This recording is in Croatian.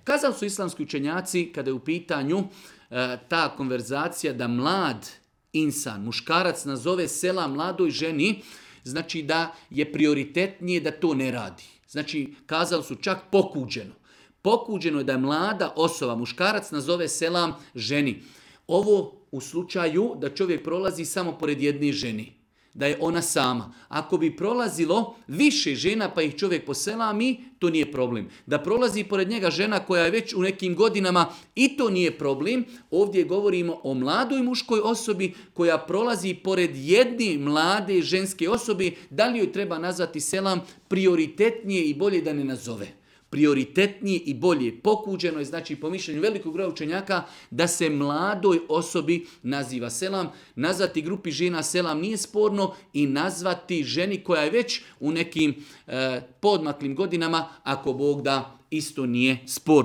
Kazali su islamski učenjaci, kada je u pitanju ta konverzacija da mlad insan, muškarac nazove selam mladoj ženi, znači da je prioritetnije da to ne radi. Znači, kazali su čak pokuđeno. Pokuđeno je da je mlada osoba, muškarac nazove selam ženi. Ovo u slučaju da čovjek prolazi samo pored jedne ženi, da je ona sama. Ako bi prolazilo više žena pa ih čovjek poselami, to nije problem. Da prolazi pored njega žena koja je već u nekim godinama, i to nije problem. Ovdje govorimo o mladoj muškoj osobi koja prolazi pored jedne mlade ženske osobe. Da li joj treba nazvati selam? Prioritetnije i bolje da ne nazove. Prioritetnije i bolje. Pokuđeno je, znači po mišljenju velikog broja učenjaka, da se mladoj osobi naziva selam. Nazvati grupi žena selam nije sporno i nazvati ženi koja je već u nekim podmaklim godinama, ako Bog da, isto nije sporno.